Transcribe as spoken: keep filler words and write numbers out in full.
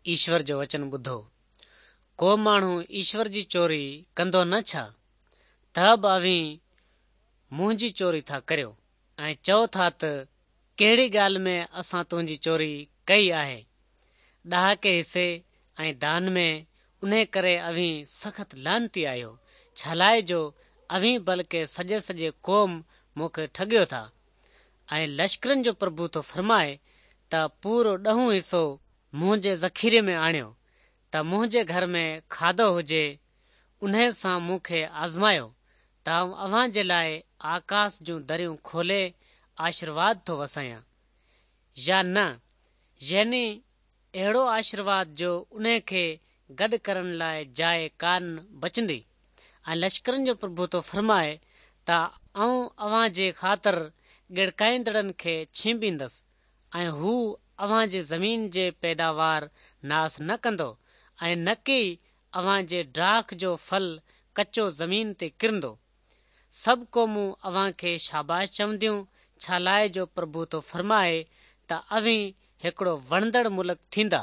ايشور جو وچن ٻڌو. ڪو ماڻهو ايشور جي چوري ڪندو نه ڇا؟ ته به اوهين منهنجي چوري ٿا ڪريو ۽ چئو ٿا ته ڪهڙي ڳالهه ۾ اسان تنهنجي چوري ڪئي آهي؟ ڏهاڪي حصي ۽ دان ۾. انهي ڪري اوهين سخت لعنتي آهيو، ڇالاءِ جو اوهين بلڪه سڄي سڄي قوم مون کي ٺڳيو ٿا. ۽ لشڪرن جو پرڀو ٿو فرمائي ته پورو ڏهون حصو منهنجي ذخيري ۾ آڻيو ته منهنجي گهر ۾ کاڌو هجي. انهي سان مون کي آزمايو ته آئون اوهان جي لاءِ آڪاس جون دريون کولي آشيرواد ٿو وسايان يا نه، يعني اهڙو آشيرواد جو انهي کي گڏ ڪرڻ لاءِ جاءِ ڪانه بچندي. ۽ لشڪرن جو پرڀو ٿو فرمائي ته آئون اوهان جي خاطر ڳڙڪائيندڙن کي ڇينڀيندس ۽ هو اوهان جي زمين جي پيداوار ناس نه ڪندو ۽ نه ڪي اوهان جي ڊاک جو ڦل ڪچو زمين تي ڪرندو. سڀ قومون اوهان کي شاباش چونديون، ڇالاءِ جو پرڀو ٿو فرمائي ته اوهين هڪڙو وڻندڙ ملڪ ٿيندا.